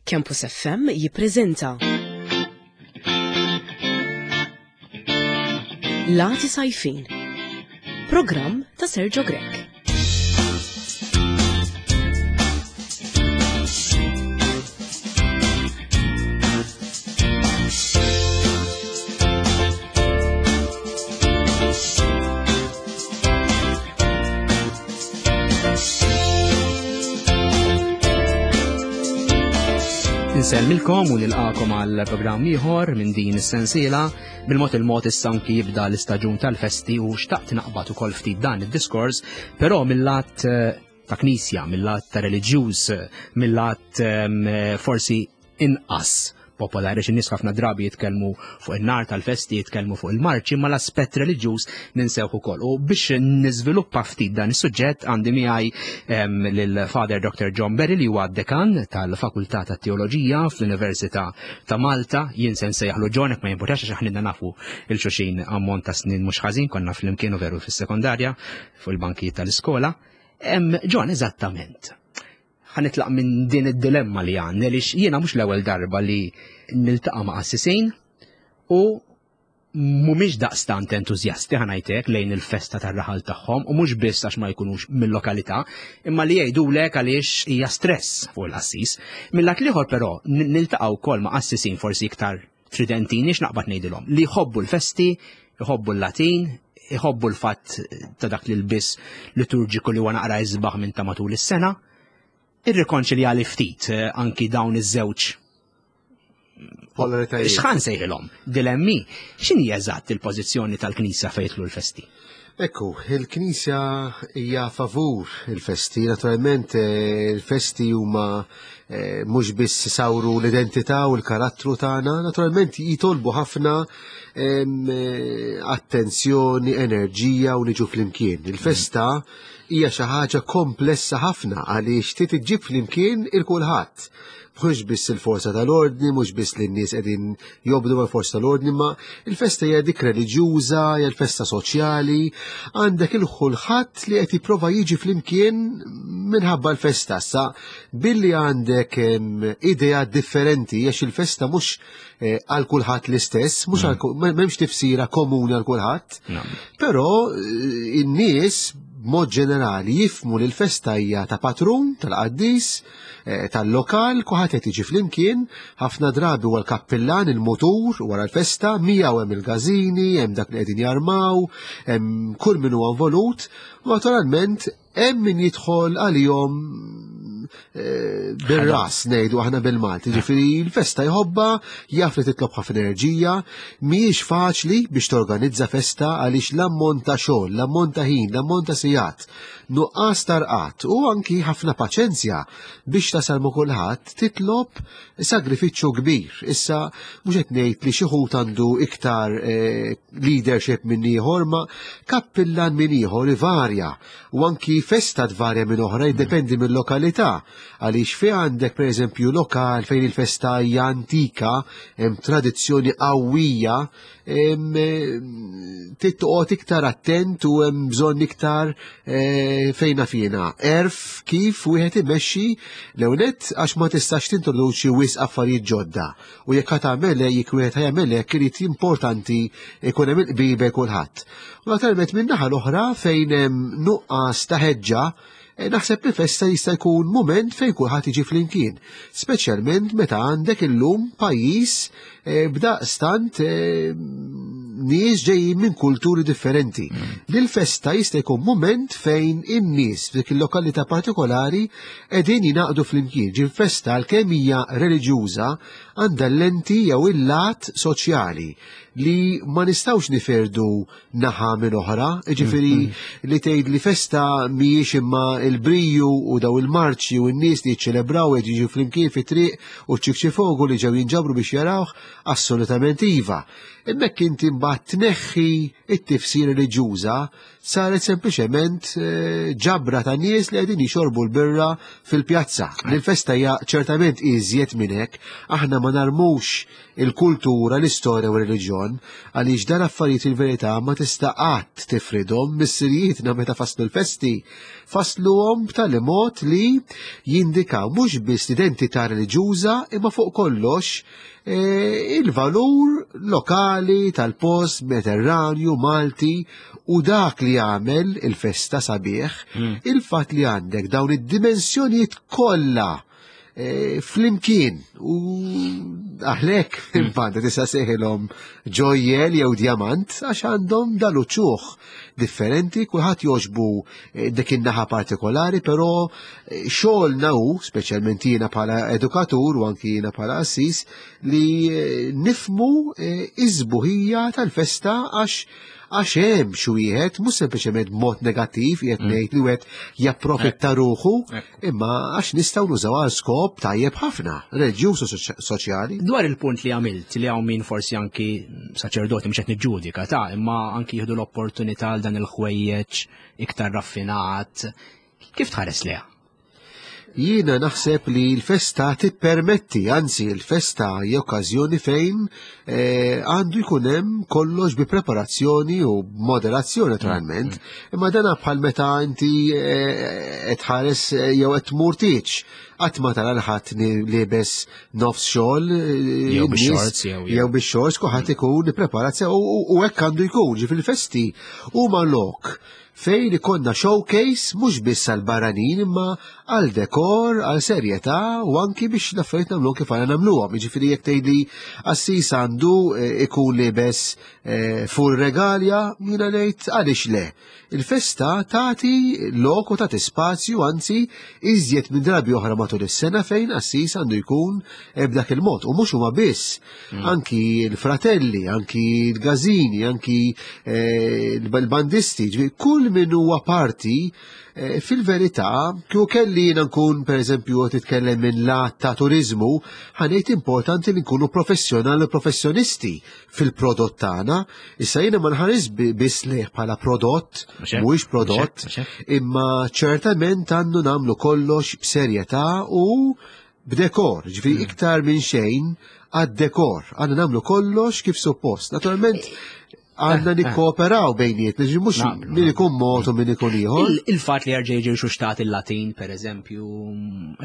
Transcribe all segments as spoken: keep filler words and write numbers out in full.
Campus F M jippreżenta Lati Sajfin, programm ta' Sergio Grech. Insellmilkom u nilqakom għal programm ieħor minn din is-sensiela. Bil-mod il-mod issa anki jibda l-istaġun tal-festi u xtaqt naqbad ukoll ftit dan id-diskors, però mill-lat ta' knisja, mill-lat ta' reliġjuż, mill-lat forsi inqas popolari, xi nies ħafna drabi jitkellmu fuq in-nar tal-festi, jitkellmu fuq il-marċi, ma l-aspett reliġjuż ninsewh ukoll. U biex niżviluppa ftit dan is-suġġett għandi miegħi lil Father Doctor John Berry li huwa dekan tal-Fakultà tat-Teoloġija fl-Università ta' Malta. Jien se nsejjaħlu John, hekk ma jimpurtax għax aħna nafu il xulxin ammont ta' snin mhux ħażin, konna flimkien u veru fis-sekondarja fuq il-bankijiet tal-iskola. John, eżattament, ħanitlaq minn din id-dilemma li għandna, għaliex jiena mhux l-ewwel darba li niltaqa' ma' qassisin u mhumiex daqstant entużjasti ħanajtek lejn il-festa tar-raħal tagħhom, u mhux biss għax ma jkunux mill-lokalità, imma li jgħidulek għaliex hija stress fuq il-qassis. Mill-lat l-ieħor però niltaqa' wkoll ma' qassisin forsi iktar tridentini, x'naqbad ngħidilhom, li jħobbu l-festi, jħobbu l-Latin, jħobbu l-fatt ta' dak li l-biss liturġiku li huwa naqra isbaħ minn ta' matul is-sena. Irrikonċiljali ftit anki dawn iż-żewġ polaritajiet. X'ħan sejħilhom? Dilemmi. X'inhi eżatt il-pożizzjoni tal-Knisja fejn jidħlu l-festi? Ekku, il-Knisja hija favur il-festi. Naturalment il-festi huma mhux biss sawru l-identità u l-karattru tagħna, naturalment jitolbu ħafna attenzjoni, enerġija u niġu flimkien. Il-festa hija xi ħaġa komplessa ħafna għaliex trid iġġib flimkien il-kulħadd. Mhux biss il-forza tal-ordni, mhux biss li n-nies qegħdin jobdu mal-forza tal-ordni, ma il-festa hija dik reliġjuża, hija l-festa soċjali, għandek il-kulħadd li qed jipprova jiġi flimkien minħabba l-festa. Sa billi għandek idea differenti, għax il-festa mhux għal kulħadd l-istess, mhux għal ku-, m'hemmx tifsira komuni għal kulħadd, però in-nies b'mod ġenerali jifmu li l-festa hija ta' patrun, tal-qaddis, tal-lokal, kulħadd qed jiġi flimkien, ħafna drabi huwa l-kappillan, il-mutur wara l-festa, miegħu hemm il-gażini, hemm dak li qegħdin jarmaw, hemm kull min huwa involut, u naturalment hemm min jidħol għalihom bir-ras, ngħidu aħna bil-Malti. Ġifieri l-festa jħobbha, jaf li titlob ħafna enerġija, mhijiex faċli biex torganizza festa għaliex l-ammont ta' xogħol, l-ammont ta' ħin, l-ammont ta' sigħat, nuqqas tarqat u anki ħafna paċenzja biex tasal ma' kulħadd titlob sagrifiċċju kbir. Issa mhux qed ngħid li xi ħut għandu iktar leadership minn ieħor, ma kappillan minn ieħor ivarja u anki festa tvarja minn oħra, jiddependi mill-lokalità. Għaliex fi għandek pereżempju lokal fejn il-festa hija antika, hemm tradizzjoni qawwija, trid toqgħod iktar attent u hemm bżonn iktar fejna fina. Erf kif wieħed imexxi l-ewwel għax ma tistax tintroduċi wisq affarijiet ġodda. U jekk ħa tagħmel hekk, jekk wieħed ħajamel hekk, irid importanti jkun hemm il-qbil bejn kulħadd. U naturalment min-naħa l-oħra fejn hemm nuqqas ta' ħeġġa, naħseb li festa jista' jkun mument fejn kulħadd jiġi flimkien, speċjalment meta għandek illum pajjiż b'daqstant nies ġejjin minn kulturi differenti. Li l-festa jista' jkun mument fejn in-nies f'dik il-lokalità partikolari qegħdin jingħaqdu flimkien. Ġi festa għalkemm hija reliġjuża għandha l-lenti jew il-lat soċjali li ma nistgħux niferdu naħa minn oħra, jiġifieri li tgħid li festa mhijiex imma il-briju u daw il-marċi u n-nies li jiċċelebraw qed jiġu flimkien fit-triq u ċ-ċikċifogu li ġew jinġabru biex jarawh, assolutament iva. Hemmhekk inti mbagħad tneħħi t-tifsir reliġjuża, saret sempliċement ġabra ta' nies li qegħdin jixorbu l-birra fil-pjazza. L-festa hija ċertament iżjed minn hekk, aħna ma narmux il-kultura, l-istorja u r-reliġjon, bżonn, għaliex dan affarijiet il-verità ma tista' qatt tifridhom. Missirijietna meta faslu l-festi, fasluhom b'tali mod li jindikaw mhux biss l-identità reliġjuża imma fuq kollox eh, il-valur lokali tal-post Mediterranju, Malti, u dak li jagħmel il-festa sabiħ, il-fatt li għandek dawn id-dimensjonijiet kollha eh, flimkien u għalhekk il-banda tista' ssejħilhom ġojjel jew diamant għax għandhom dal-uċuħ differenti, kulħadd jogħġbu eh, dik in-naħa partikolari, però eh, xogħolna hu, speċjalment jiena bħala edukatur u anki jiena bħala assis, li eh, nifmu eh, iż-sbuħija tal-festa għax għax hemm xi wieħed mhux sempliċement b'mod negattiv qiegħed ngħid li wieħed japprofitta ruħu, imma għax nistgħu nużaw għal skop tajjeb ħafna, reliġjuż u soċ- soċjali. Dwar il-punt li għamilt li hawn min forsi anki saċerdoti, mhux qed niġġudika ta' imma anki jieħdu l-opportunità għal dan il-ħwejjeġ iktar raffinat. Kif tħares liha? Jiena naħseb li l-festa tippermetti, anzi l-festa hija okkażjoni fejn eh, għandu jkun hemm kollox bi preparazzjoni u moderazzjoni naturalment, imma dana bħal meta inti eh, qed tħares eh, jew qed tmur tieġ. Qatt ma tara l-ħadd liebes nofs xogħol, eh, Jew in-nies- bix-shorts, jew- jew bix-shorts, kulħadd ikun ippreparat sew u u hekk għandu jkun, ġifieri festi huma lok fejn ikollna showcase mhux biss għal barranin imma għal dekor, għal serjetà u anki biex l-affarijiet nagħmluhom kif għandna nagħmluhom. Jiġifieri jekk tgħidli assis għandu eh, ikun libes eh, full regalia, jiena ngħid għaliex le. Il-festa tagħti lok u tagħti spazju, anzi iżjed minn drabi oħra matul is-sena fejn assis għandu jkun eh, b'dak il-mod. U mhux huma biss, anki l-fratelli, anki l-gażini, anki eh, l-bandisti, ġifieri kull min huwa parti eh, fil-verità, kieku kelli jiena nkun pereżempju qed titkellem minn lat ta' turizmu, ħa ngħid importanti li nkunu professjonali u professjonisti fil-prodott tagħna. Issa jiena ma nħares bi- biss lejh bħala prodott, Mhux hekk? mhuwiex prodott, Mhux hekk, mhux hekk. imma ċertament għandu nagħmlu kollox b'serjetà u b'dekor, ġifieri iktar minn xejn għad-dekor, għandna nagħmlu kollox kif suppost. Naturalment għandna nikkooperaw bejnietna, ġifieri mhux Naqblu, min ikun mod u min ikun ieħor. Il- Il-fat li jerġa' jiġi rxuxtat il-Latin, per eżempju,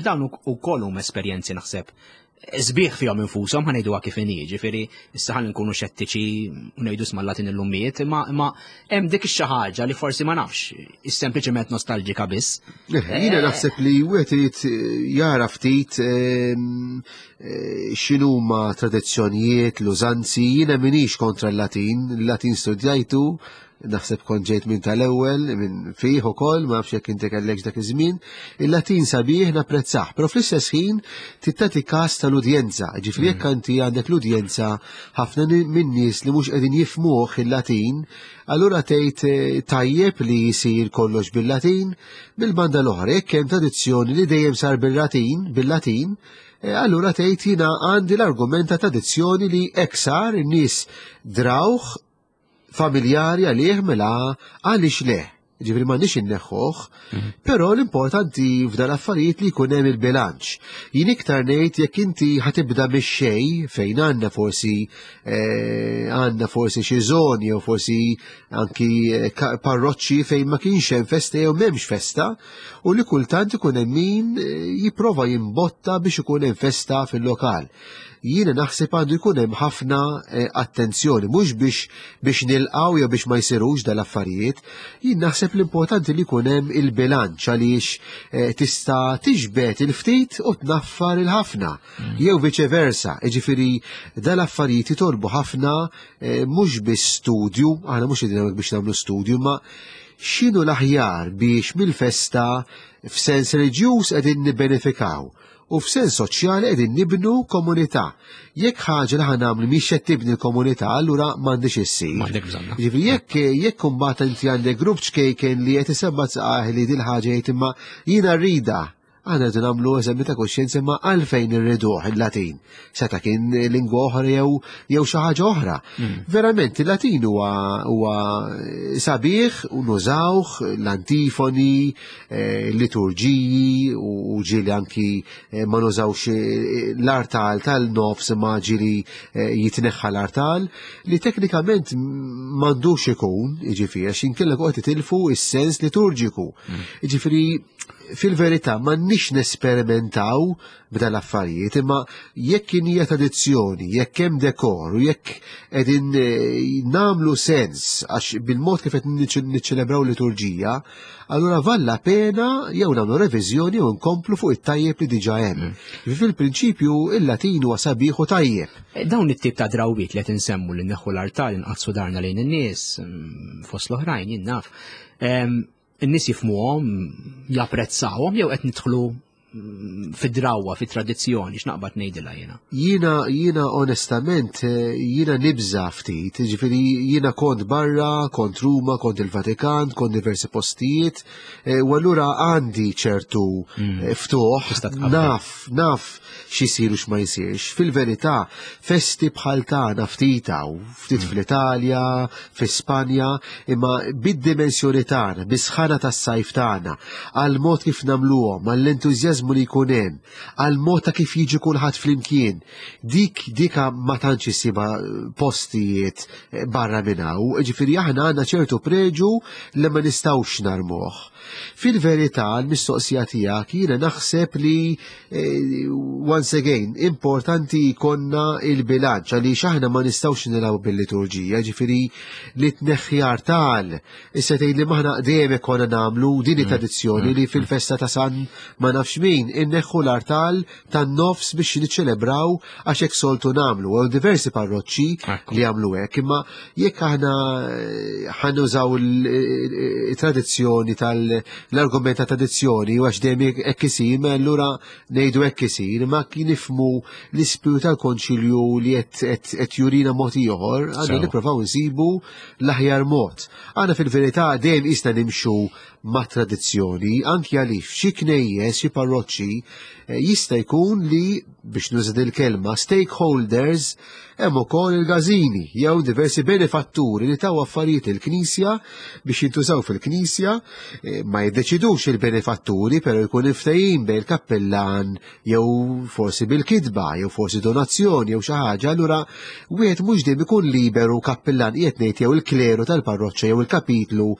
dawn ukoll huma esperjenzi naħseb sbieħ fihom infushom, ħa ngħiduha kif inhi, ġifieri issa ħalli nkunu xettiċi u ngħidu sma l-Latin illum miet, imma imma hemm dik ix-xi ħaġa li forsi ma nafx, is sempliċement nostalġika biss. Eh, Jiena naħseb li wieħed irid eh, jara ftit ehm, eh, x'inhuma tradizzjonijiet, l-użanzi, jiena minix kontra l-Latin, il-Latin studjajtu, naħseb kont ġejt minn tal-ewwel, minn fih ukoll, ma nafx jekk inti kellekx dak iż-żmien. Il-Latin sabiħ napprezzah, però fl-istess ħin tagħti każ tal-udjenza. Ġifieri jekk inti għandek l-udjenza ħafna ni- minn nies li mhux qegħdin jifmuh il-Latin, allura tgħid eh, tajjeb li jsir kollox bil-Latin, bil-banda l-oħra jekk hemm tradizzjoni li dejjem sar bil-Latin, bil-Latin, eh, allura tgħid jiena għandi l-argument ta' tradizzjoni li hekk sar, in-nies drawh familjari għalih, mela għaliex le. Ġifieri m'għandniex inneħħuh, però l-importanti f'dan affarijiet li jkun hemm il-bilanċ. Jien iktar ngħid jekk inti ħa tibda mix-xejn fejn għandna forsi eh, għandna forsi xi żoni jew forsi anki eh, ka- parroċċi fejn ma kienx hemm festa jew m'hemmx festa u li kultant ikun hemm min eh, jipprova jimbotta biex ikun hemm festa fil-lokal. Jiena naħseb għandu jkun hemm ħafna eh, attenzjoni, mhux biex biex nilqaw jew biex ma jsirux dal-affarijiet, jien naħseb l-importanti li jkun hemm il-bilanċ għaliex eh, tista' tiġbed il-ftit u tnaffar il-ħafna, jew vice versa. Jiġifieri dal-affarijiet jitolbu ħafna eh, mhux biss studju, aħna mhux qegħdin hawnhekk biex nagħmlu studju, ma x'inhu l-aħjar biex mill-festa f'sens reliġjuż qegħdin nibbenefikaw u f'sens soċjali qegħdin nibnu komunità. Jekk ħaġa li ħa nagħmlu mhix qed tibni l-komunità, allura m'għandix issir. M'għandek bżonna. Ġifieri jekk jekk imbagħad inti għandek grupp ċkejken li qed isebba' saqajh li dil ħaġa jgħid imma jiena rrida. Aħna rridu nagħmlu eżami ta' kuxjenza ma għalfejn irriduh il-Latin. Seta kien lingwa oħra jew jew xi ħaġa oħra. Verament il-Latin huwa huwa sabiħ u nużawh l-antifoni, eh, l-liturġiji u ġieli anki eh, ma nużawx eh, l-artal tal-nofs ma ġieli eh, jitneħħa l-artal li teknikament m'għandux ikun, jiġifieri għax inkella qed titilfu is-sens liturġiku. Jiġifieri fil-verità m'għandniex nesperimentaw b'dal affarijiet, imma jekk kien hija tradizzjoni, jekk hemm dekor u jekk qegħdin eh, nagħmlu sens għax bil-mod kif qed niċċelebraw liturġija, allura vale la pena jew nagħmlu reviżjoni jew nkomplu fuq it-tajjeb li diġà hemm. Fil-prinċipju il-Latin huwa sabiħ u tajjeb. Eh, Dawn it-tip ta' drawwiet li qed insemmu li neħħu l-artal inqaddsu darna lejn in-nies, mm, fost l-oħrajn jien naf. Em, In-nies jifhmuhom, japprezzawhom jew qed nidħlu mm, fid-drawwa, fit-tradizzjoni, x'naqbad ngħidilha jiena. Jiena, jiena onestament, eh, jiena nibża ftit, ġifieri jiena kont barra, kont Ruma, kont il-Vatikan, kont diversi postijiet, eh, u allura għandi ċertu eh, ftuħ, Tista' tqabbel. naf, naf x'isir u x'ma jsirx. Fil-verità, festi bħal tagħna ftit hawn, ftit fl-Italja, fi Spanja, imma bid-dimensjoni tagħna, bis-sħana tas-sajf tagħna, għal mod kif nagħmluhom, għall-entużjażmu li jkun hemm, għal mod ta' kif jiġi kulħadd flimkien. Dik dika ma tantx issibha postijiet eh, barra minn hawn, ġifieri aħna għandna ċertu preġu li ma nistgħux narmuh. Fil-verità, l-mistoqsija tiegħek jiena naħseb li eh, once again, importanti jkollna il-bilanċ għaliex aħna ma nistgħux nilagħbu bil-liturġija, ġifieri li tneħħi artal. Issa tgħid li maħna dejjem konna nagħmlu din it-tradizzjoni li fil-festa ta' San ma nafx min inneħħu l-artal tan-nofs biex niċċelebraw għax hekk soltu nagħmlu. Hemm diversi parroċċi Ekku. li jagħmlu hekk, imma jekk aħna eh, ħa nużaw il-tradizzjoni tal-argument ta' tradizzjoni u għax dejjem hekk isir, ma allura ngħidu hekk isir, ma kien nifhmu l-ispiritu tal-konċilju li qed- qed qed jurina mod ieħor, għandna Sew. nippruvaw nsibu l-aħjar mod. Aħna fil-verità dejjem isna nimxu ma' tradizzjoni, anki għaliex xi knejjes, xi parroċċi eh, jista' jkun li biex nuża il-kelma stakeholders hemm ukoll il-gażini jew diversi benefatturi li taw affarijiet il-Knisja biex jintużaw fil-Knisja, eh, ma jiddeċidux il-benefatturi, però jkun ftehim bejn il-kappellan jew forsi bil-kitba jew forsi donazzjoni jew xi ħaġa, allura wieħed mhux dejjem ikun liberu kappellan qiegħed ngħid jew il-kleru tal-parroċċa jew il-kapitlu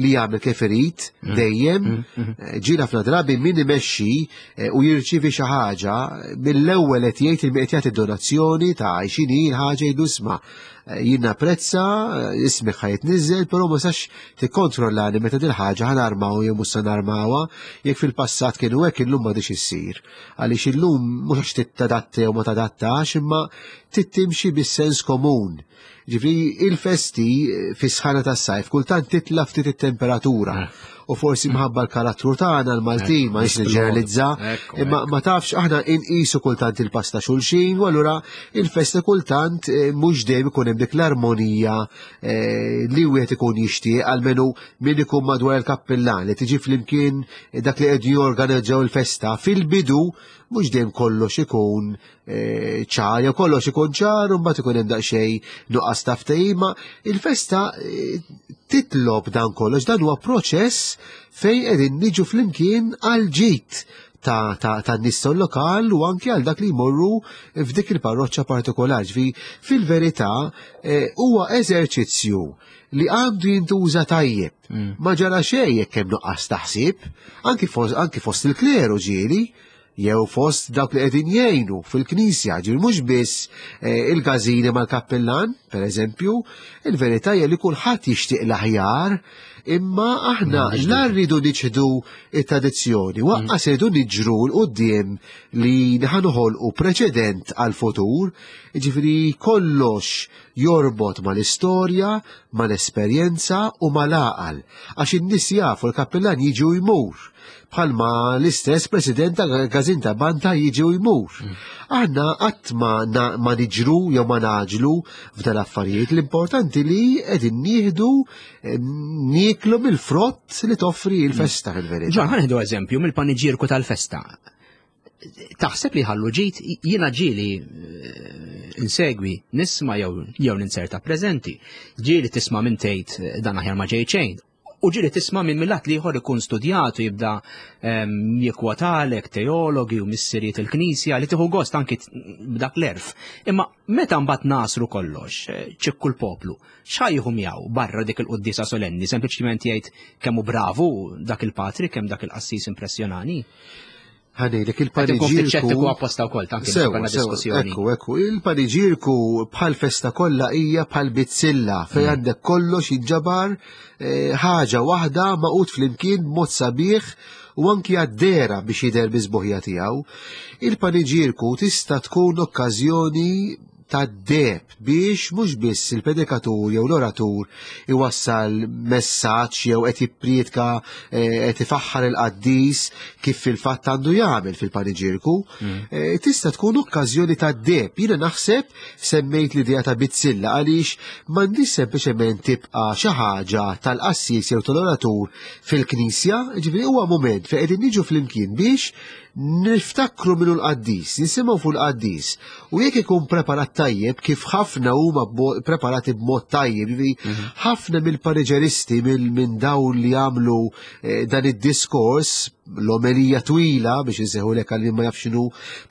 li jagħmel kif irid dejjem. Eh, Ġieli ħafna drabi min imexxi eh, u jirċievi xi ħaġa mill-ewwel qed jgħid il qed jagħti donazzjoni ta' x'inhi l-ħaġa jgħidu isma' eh, jien napprezza, eh, ismi ħa jitniżżel, però ma sax tikkontrollani meta dil ħaġa ħa narmaw jew mhux se narmawha, jekk fil-passat kienu hekk illum m'għadix issir. Għaliex illum mhux għax titadatta jew ma tadattax, imma tittimxi bis-sens komun. Ġifieri il-festi eh, fis-sħana tas-sajf kultant titla ftit it-temperatura. U forsi mħabba l-karattru tagħna l-Maltin ma nix niġġeneralizza, Ekku, imma ma tafx aħna inqisu kultant il-pass ta' xulxin, u allura il-festa kultant eh, mhux dejjem ikun hemm dik l-armonija eh, li wieħed ikun jixtieq almenu min ikun madwar il-kappellan li tiġi flimkien dak li qed jorganizzaw il-festa fil-bidu mhux dejjem kollox ikun eh, ċar jew kollox ikun ċar u mbagħad ikun hemm daqsxejn nuqqas ta' ftehim, ma il-festa eh, titlob dan kollox, dan huwa proċess fejn qegħdin niġu flimkien għal ġid ta' ta' ta' nies lokal u anki għal dak li jmorru f'dik il-parroċċa partikolari. Ġifi, fil-verità eh, huwa eżerċizzju li għandu jintuża tajjeb. Ma ġara xejn jekk hemm nuqqas taħsib, anki fost, anki fost il-kleru ġieli, jew fost dawk li qegħdin jgħinu fil-knisja, ġifieri mhux biss eh, il-gażini mal-kappellan, per eżempju, il-verità hija li kulħadd jixtieq l-aħjar, imma aħna la rridu niċħdu it-tradizzjoni, waqqas rridu niġru 'l quddiem li ħa noħolqu preċedent għal-futur, ġifieri kollox jorbot mal-istorja, mal-esperjenza u mal-għaqal, għax in-nies jafu l-kappellan jiġi u jmur bħalma l-istess president ta' Gazin ta' Banta jiġi u jmur. Aħna qatt ma, na- ma niġru jew ma naġlu f'dal affarijiet, l-importanti li qegħdin nieħdu eh, nieklu Jieklu mill-frott li toffri l-festa fil-verità. Ġon, ħa nieħdu eżempju mill-paniġierku tal-festa. Taħseb li ħallu ġit, jiena ġieli eh, insegwi, nisma' jew jew ninserta preżenti. Ġieli tisma' minn tgħid eh, dan aħjar ma ġej xejn. U ġieli tisma' minn millat li ieħor ikun studjat u jibda ehm, jikkwotalek teologi u missirijiet il-Knisja li tieħu gost anki t- b'dak l-għerf. Imma meta mbagħad nasru kollox, eh, ċikku l-poplu, x'ħa jieħu miegħu barra dik il-quddiesa solenni, sempliċiment jgħid kemm hu bravu dak il-patri, kemm dak il-qassis impressjonani. Ħa ngħidlek Qed inkun ftit xettiku il-paniġierku. apposta wkoll tanki biex Sewa, ikollna sewa, diskussjoni. ekku, ekku, il-paniġierku bħal festa kollha hija bħal bizzilla fejn għandek kollox jinġabar eh, ħaġa waħda magħqud flimkien b'mod sabiħ u anki għad-dehra biex jidher bis-sbuħija tiegħu. Il-paniġierku tista' tkun okkażjoni ta' deheb biex mhux biss il-predikatur jew l-oratur iwassal messaġġ jew qed jipprietka eh, qed ifaħħar il-qaddis kif fil-fatt għandu jagħmel fil-paniġierku. Eh, Tista' tkun okkażjoni ta' deheb. Jiena naħseb semmejt l-idea ta' bizzilla għaliex m'għandix sempliċement tibqa' xi ħaġa tal-qassis jew tal-oratur fil-knisja, ġifieri huwa moment fejn qegħdin niġu flimkien biex niftakru minnu l-qaddis, nisimgħu fuq l-qaddis. U jekk ikun preparat tajjeb, kif ħafna huma b'mo- preparati b'mod tajjeb, jiġifieri ħafna mill-paniġeristi mill minn dawn li jagħmlu eh, dan id-diskors, l-omelija twila biex insejħulek għal min ma jafx x'inhu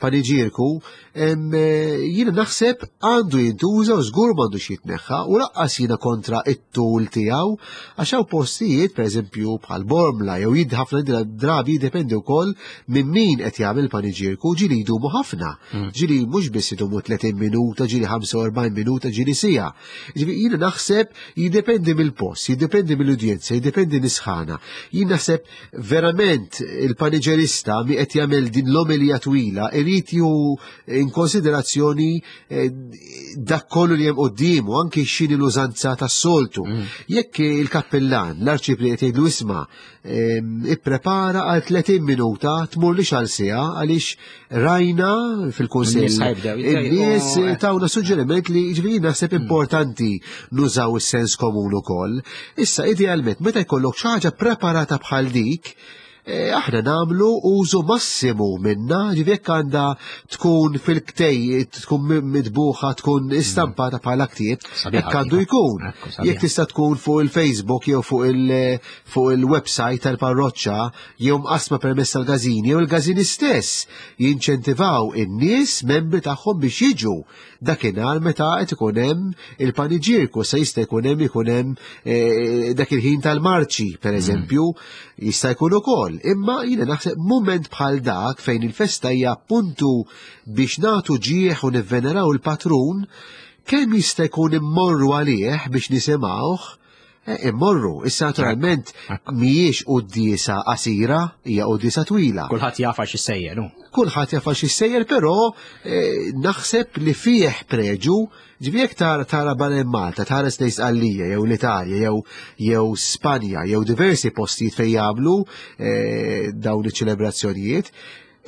paniġierku, em, eh, jiena naħseb għandu jintuża u żgur m'għandux jitneħħa u lanqas jiena kontra it-tul tiegħu għax hawn postijiet pereżempju bħal Bormla jew jid ħafna drabi jiddependi wkoll minn min qed jagħmel paniġierku ġieli jdumu ħafna. Ġieli mhux biss idumu tletin minuta, ġieli ħamsa u erbgħin minuta, ġieli siegħa. Ġifieri jiena naħseb jiddependi mill-post, jiddependi mill-udjenza, jiddependi mis-sħana. Jien naħseb verament il-paniġerista mi qed jagħmel din l-omelija twila irid jieħu in konsiderazzjoni eh, dak kollu li hemm quddiemu anki x'inhi l-użanza tas-soltu. Jekk il-kappellan, l-arċipriet jgħidlu isma' em, ipprepara għal tletin minuta, tmurlix għal siegħa għaliex rajna fil-kunsill In-nies ħa jibdew jitgħajqu, in-nies eh. tawna suġġeriment li ġifieri naħseb importanti nużaw is-sens komun ukoll. Issa idealment meta jkollok xi ħaġa preparata bħal dik, eh, aħna nagħmlu użu massimu minna, ġifieri jekk għandha tkun fil-ktej, tkun mitbuħa, tkun istampata bħala ktieb, Sabiħa hekk għandu kieku. jkun. Ekku, sabiħa. Jekk tista' tkun fuq il-Facebook jew fuq il- fuq il-website tal-parroċċa jew mqasma permezz tal-każini jew il-każini stess jinċentivaw in-nies membri tagħhom biex jiġu dakinhar meta qed ikun hemm il-paniġierku se jista' jkun hemm ikun hemm eh, dak il-ħin tal-marċi pereżempju jista' jkun ukoll. Imma jiena naħseb mument bħal dak fejn il-festa hija appuntu biex nagħtu ġieħ u nivveneraw il-patrun kemm jista' jkun immorru għalih biex nisimgħuh, eh, immorru. Issa naturalment mhijiex quddiesa qasira, hija quddiesa twila. Kulħadd jaf għax issejjer, hu. Kulħadd jaf għax issejjer, però eh, naħseb li fih preġu, ġifieri jekk tara tara barra Malta, tara lejn Sqallija jew l-Italja jew jew Spanja jew diversi postijiet fejn jagħmlu eh, dawn iċ-ċelebrazzjonijiet,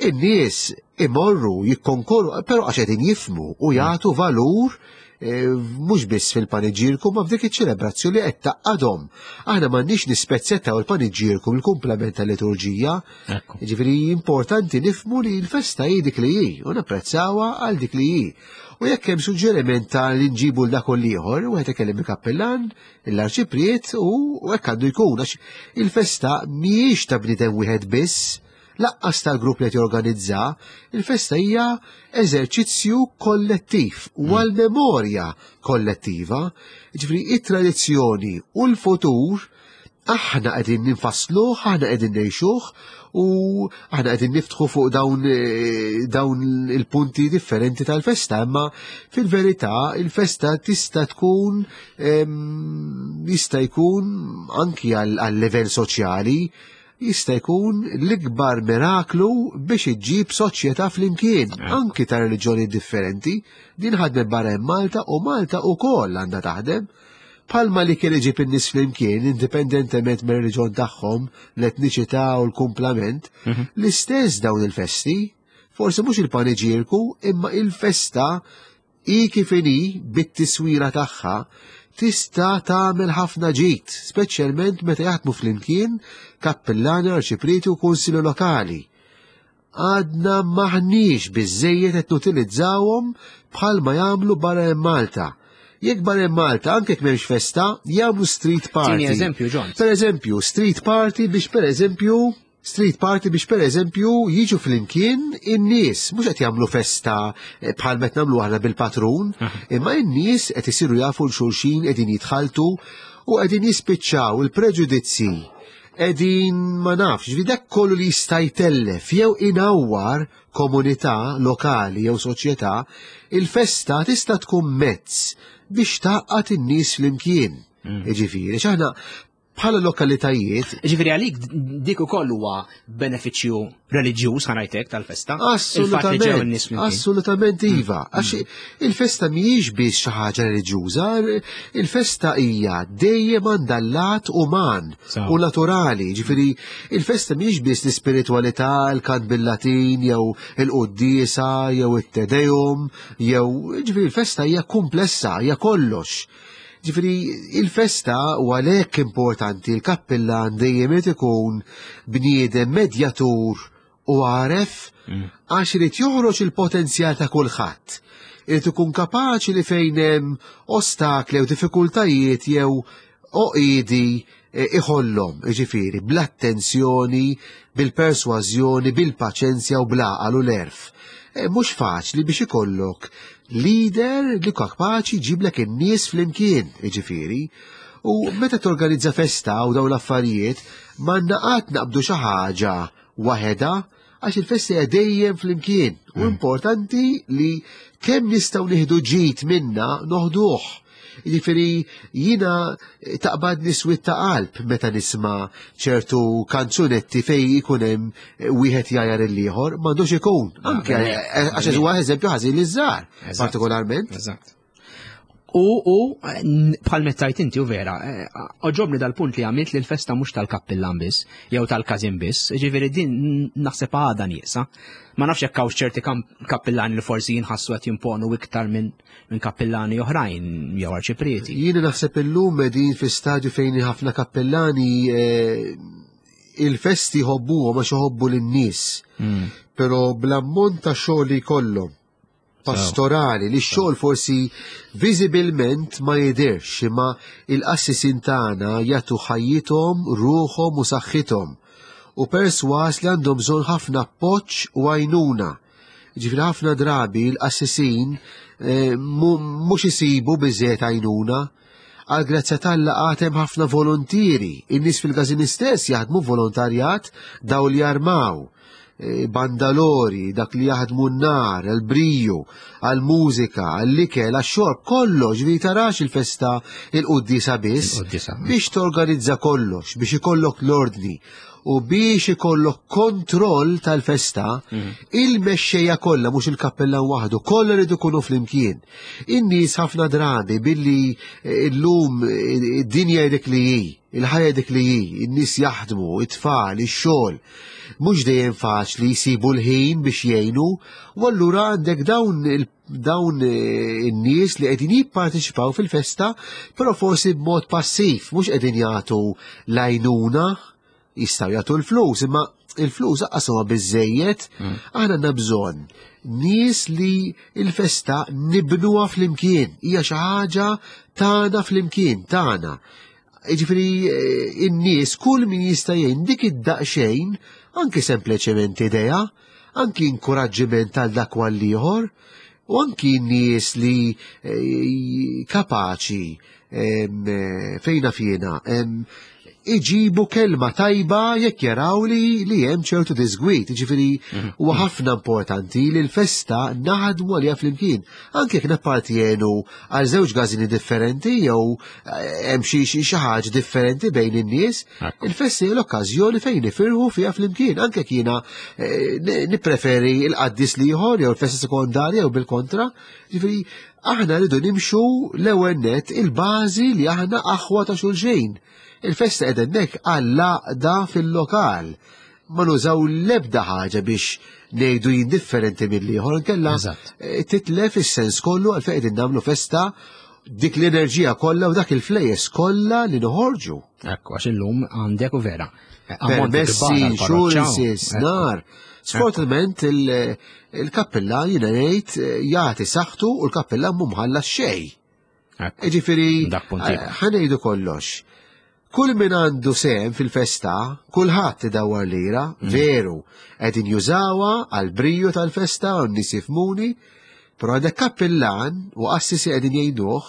in-nies imorru jikkonkorru, però għax qegħdin jifhmu u jagħtu valur eh, mhux biss fil-paniġierku ma f'dik iċ-ċelebrazzjoni qed tgħaqqadhom. Aħna m'għandniex nispezzettaw il-paniġierku mill-kumplament tal-liturġija. Ekku. Ġifieri importanti nifhmu li l-festa hi dik li hi u napprezzawha għal dik li hi. U jekk hemm suġġeriment ta' li nġibu l dak u l-ieħor, wieħed ikellem il-kappellan, l-arċipriet u u hekk għandu jkun għax il-festa mhijiex ta' bniedem wieħed biss, lanqas tal-grupp li qed jorganizza, il-festa hija eżerċizzju kollettiv u għal-memorja kollettiva. Ġifieri it-tradizzjoni u l-futur aħna qegħdin ninfassluh, aħna qegħdin ngħixuh u aħna qegħdin niftħu fuq dawn, eh, dawn il-punti differenti tal-festa, imma fil-verità il-festa tista' tkun em, jista' jkun anki għal għal livell soċjali jista' jkun l-ikbar miraklu biex iġġib soċjetà flimkien, anki ta' reliġjoni differenti. Din ħadmet barra hemm Malta u Malta wkoll għandha taħdem. Palma li kien iġib in-nies flimkien, indipendentement mir-reliġjon tagħhom, l-etniċità u l-kumplament, l-istess dawn il-festi, forsi mhux il-paniġierku, imma il-festa i kif inhi bit-tiswira tagħha Tista' tagħmel ħafna ġid, speċjalment meta jaħdmu flimkien kappillani, arċiprieti u kunsilli lokali. Għadna maħniex biżejjed qed nutilizzawhom bħalma jagħmlu barra minn Malta. Jekk barra minn Malta, anke jekk m'hemmx festa, jagħmlu street party. Tini eżempju, John. Per eżempju, street party biex per eżempju street party biex per eżempju jiġu flimkien in-nies, mhux qed jagħmlu festa eh, bħal meta nagħmlu aħna bil-patrun, imma in-nies qed isiru jafu 'l xulxin, qegħdin jitħaltu u qegħdin jispiċċaw il-preġudizzi. Qegħdin ma nafx, ġifieri dak kollu li jista' jtellef jew inawwar komunità lokali jew soċjetà, il-festa tista' tkun mezz biex tgħaqqad in-nies flimkien. Jiġifieri, x'aħna bħala lokalitajiet. Ġifieri għalik dik ukoll huwa benefiċċju reliġjuż, ħa ngħidlek, tal-festa. Il-fatt li ġew Assolutament, in-nies flimkien. Assolutament iva. Għax il-festa mhijiex biss xi ħaġa reliġjuża, il-festa hija dejjem għandha lat uman Sew. u naturali. Ġifieri il-festa mhijiex biss l-ispiritualità, il-kant bil-Latin, jew il-quddiesa, jew it-Te Deum, jew ġifieri il-festa hija komplessa, hija kollox. Ġifieri il-festa u għalhekk importanti l-kappillan dejjem irid ikun bniedem medjatur u għaref, għax irid joħroġ il-potenzjal ta' kulħadd. Irid ikun kapaċi li fejn hemm ostakli jew diffikultajiet jew oqidi eh, iħollhom, jiġifieri bl-attenzjoni, bil-persważjoni, bil-paċenzja u bl-għaqal u l-għerf. Eh, Mhux faċli biex ikollok leader li kapaċi jġiblek in-nies flimkien, jiġifieri. U meta torganizza festa u dawn l-affarijiet, ma naqat naqbdu xi ħaġa waħedha, għax il-festa hija dejjem flimkien. U importanti li kemm nistgħu nieħdu ġid minna noħduh. Jiġifieri jiena taqbad niswit ta' qalb meta nisma' ċertu kanzunetti fej ikun hemm wieħed jgħajjar il-ieħor, m'għandux ikun. Anke Ah, għax huwa eżempju ħażin liż-żgħar, Eżatt. partikolarment. Eżatt. U, u n- bħal mettajt inti u vera, eh, għoġobni dal-punt li għamilt li l-festa mhux tal-kappillan biss, jew tal-każin biss, ġifieri din naħseb għada nieqsa. Ma nafx jekk hawnx ċerti kam- kappillani li forsi jinħassu qed jimponu iktar minn min kappillani oħrajn jew arċiprieti. Jiena naħseb illum qegħdin fi stadju fejn ħafna kappellani eh, il-festi jħobbuhom għax iħobbu lin-nies. Mm. Però bl-ammont ta' xogħol li jkollhom pastorali, li x-xogħol forsi viżibilment ma jidirx, imma il-qassisin tagħna jagħtu ħajjithom, ruħhom u saħħithom. U perswas li għandhom bżonn ħafna appoġġ u għajnuna. Ġifieri ħafna drabi l-qassisin eh, mu- mhux isibu biżejjed għajnuna. Għal grazzja t'Alla għad hemm ħafna volontieri. In-nies fil-każin stess jaħdmu volontarjat, daw li jarmaw, eh, bandalori, dak li jaħdmu n-nar, għal-briju, għal-mużika, għall-ikel, għax-xorb, kollox, ġifieri tarax il-festa il-quddiesa biss, Il-quddiesa. Biex torganizza kollox, biex ikollok l-ordni u biex ikollok kontroll tal-festa, il-mexxejja kollha, mhux il-kappellan waħdu, kollha rridu jkunu flimkien. In-nies ħafna drabi billi eh, illum eh, id-dinja dik li hi, il-ħajja dik li hi, in-nies jaħdmu, it-tfal, ix-xogħol. Mhux dejjem faċli jsibu l-ħin biex jgħinu, u allura għandek dawn il dawn eh, in-nies li qegħdin jipparteċipaw fil-festa, però forsi b'mod passiv, mhux qegħdin jagħtu l-għajnuna, jistgħu jagħtu l-flus, imma il-flus lanqas huma biżejjed, aħna għandna bżonn nies li il-festa nibnuha flimkien, hija xi ħaġa tagħna flimkien, tagħna. Jiġifieri eh, in-nies kull min jista' jgħin dik id-daqsxejn, anki sempliċement idea, anki inkoraġġiment għal dak u ieħor, u anki n-nies li eh, kapaċi em, eh, fejna fjena em, iġibu kelma tajba jekk jaraw li li hemm ċertu disgwit. Ġifieri huwa ħafna importanti li l-festa naħdmu għaliha flimkien. Anke jekk nappartjenu għal żewġ każini differenti jew eh, hemm xi xi xi ħaġa differenti bejn in-nies, Ekku. il-festa hija l-okkażjoni fejn nifirħu fiha flimkien. Anke jekk jiena eh, ni- nippreferi il-qaddis l-ieħor jew il-festa sekondarja jew bil-kontra. Ġifieri aħna rridu nimxu l-ewwel net il-bażi li aħna aħwa ta' xulxin. Il-festa qiegħda hemmhekk għall-għaqda fil-lokal. Ma nużaw l-ebda ħaġa biex ngħidu jien differenti mill-ieħor, inkella Eżatt. eh, titlef is-sens kollu għal fejn qegħdin nagħmlu festa dik l-enerġija kollha u dak il-flejjes kollha li noħorġu. Ekku, għax illum għandek u vera. Ammonti Permessi, kbar għall-parroċċa. insurances, Ekku. nar. Sfortunatament il- il-kappella jiena ngħid jagħti saħħtu u l-kappella mhu mħallas xejn. Ekku. Ġifieri, Dak punt ieħor. ħa ngħidu kollox. Kull min għandu sehem fil-festa, kulħadd idawwar lira, Mm. veru, qegħdin jużawha għal briju tal-festa u n-nies jifhmuni, però għandek kappillan u qassisi qegħdin jgħiduh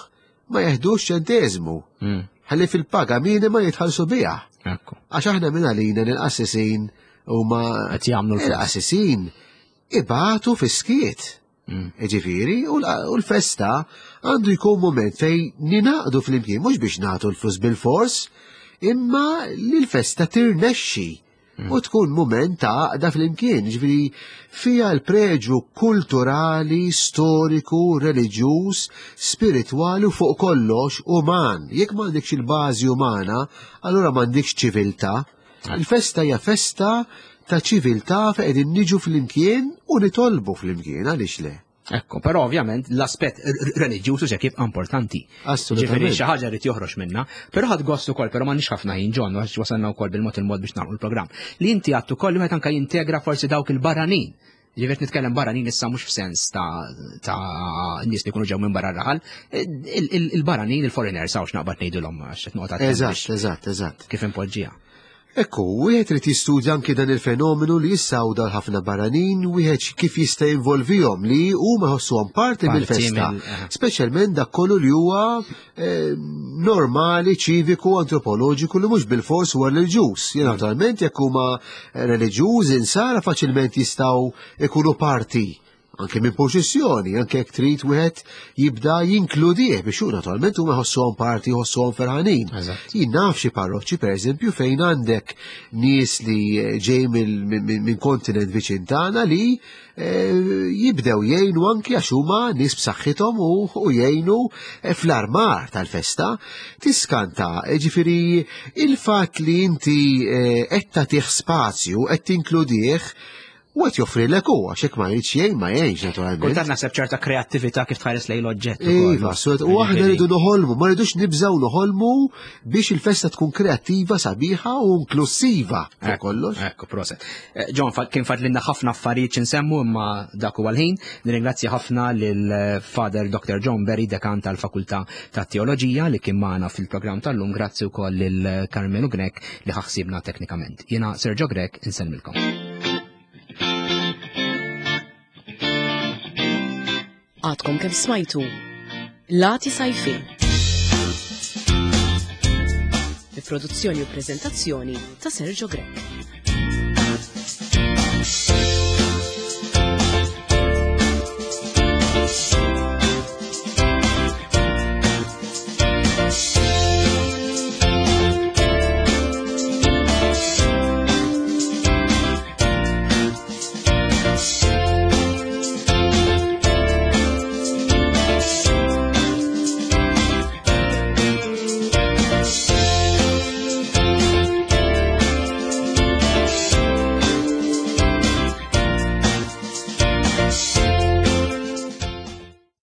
ma jeħdux ċenteżmu. Mm. Ħalli fil-paga minima jitħallsu biha. Ekku. Għax aħna minn għalina l-qassisin huma Qed jagħmlu l-flus. il-qassisin ibatu fis-skiet. Mm. Ġifieri, u l- u l-festa għandu jkun moment fejn ningħaqdu flimkien, mhux biex nagħtu l-flus bil-fors, imma li l-festa tirnexxi u tkun moment ta' għaqda flimkien. Ġifieri, fija l-preġu kulturali, storiku, reliġjuż, spiritwali u fuq kollox uman. Jekk m'għandekx il-bażi umana, allura m'għandekx ċiviltà. Il-festa hija festa ta' ċiviltà fejn qegħdin niġu flimkien u nitolbu flimkien, għaliex le? Ekku, però ovvjament l-aspett reliġjuż se jibqa' importanti. Assolutament. Ġifieri xi ħaġa rid joħroġ minna, però ħadt gost ukoll, però m'għandniex ħafna ħin John, għax wasalna wkoll bil-mod il-mod biex nagħlqu l-programm. Li inti għattu ukoll li wieħed anke jintegra forsi dawk il-barranin. Ġifieri nitkellem barranin issa mhux f'sens ta' ta' nies li jkunu ġew minn barra r-raħal, il- il- il-barranin, il-foreigners hawnx naqbad ngħidulhom għax qed noqgħod attent Eżatt, biex eżatt, eżatt. kif impoġġija. Ekku, wieħed irid jistudja anki dan il-fenomenu li jissawda ħafna barranin, wieħed kif jista' jinvolvihom li huma jħossuhom parti Parti mill-festa. mill- eh. Speċjalment dak kollu li huwa eh, normali, ċiviku, antropoloġiku li mhux bil-fors huwa reliġjuż. Jien naturalment jekk huma reliġjuż insara faċilment jistgħu ikunu parti anke minn poċessjoni, anke jekk trid wieħed jibda jinkludih biex hu naturalment huma jħossuhom parti, jħossuhom ferħanin. Eżatt. Jien naf xi parroċċi pereżempju fejn għandek nies li ġej mill- minn minn kontinent viċin tagħna li eh, jibdew jgħinu anki għax huma nies b'saħħithom u, u jgħinu eh, fl-armar tal-festa. Tiskanta, eh, ġifieri il-fatt li inti eh, qed tagħtih spazju, qed tinkludih, u qed joffrilek hu għax hekk ma jridx jgħin ma jgħinx naturalment. Kultant naħseb ċerta kreattività kif tħares lejn l-oġġett. ukoll. Iva, so- u aħna rridu noħolmu, ma rridux nibżaw noħolmu biex il-festa tkun kreattiva, sabiħa u inklusiva fuq Ekku, kollox. Ekku, proset. Eh, John, fa- kien fadlinna ħafna affarijiet x'insemmu imma dak huwa l-ħin. Nirringrazzja ħafna lil eh, Father Doctor John Berry, dekan tal-Fakultà tat Teoloġija li kien magħna fil-programm tal-lum. Grazzi wkoll lil Carmenu Grech li ħa ħsiebna teknikament. Jiena Sergio Grech, insellmilkom. Għadkom kemm smajtu Lati Sajfin. Bi produzzjoni u prezentazzjoni ta' Sergio Grech.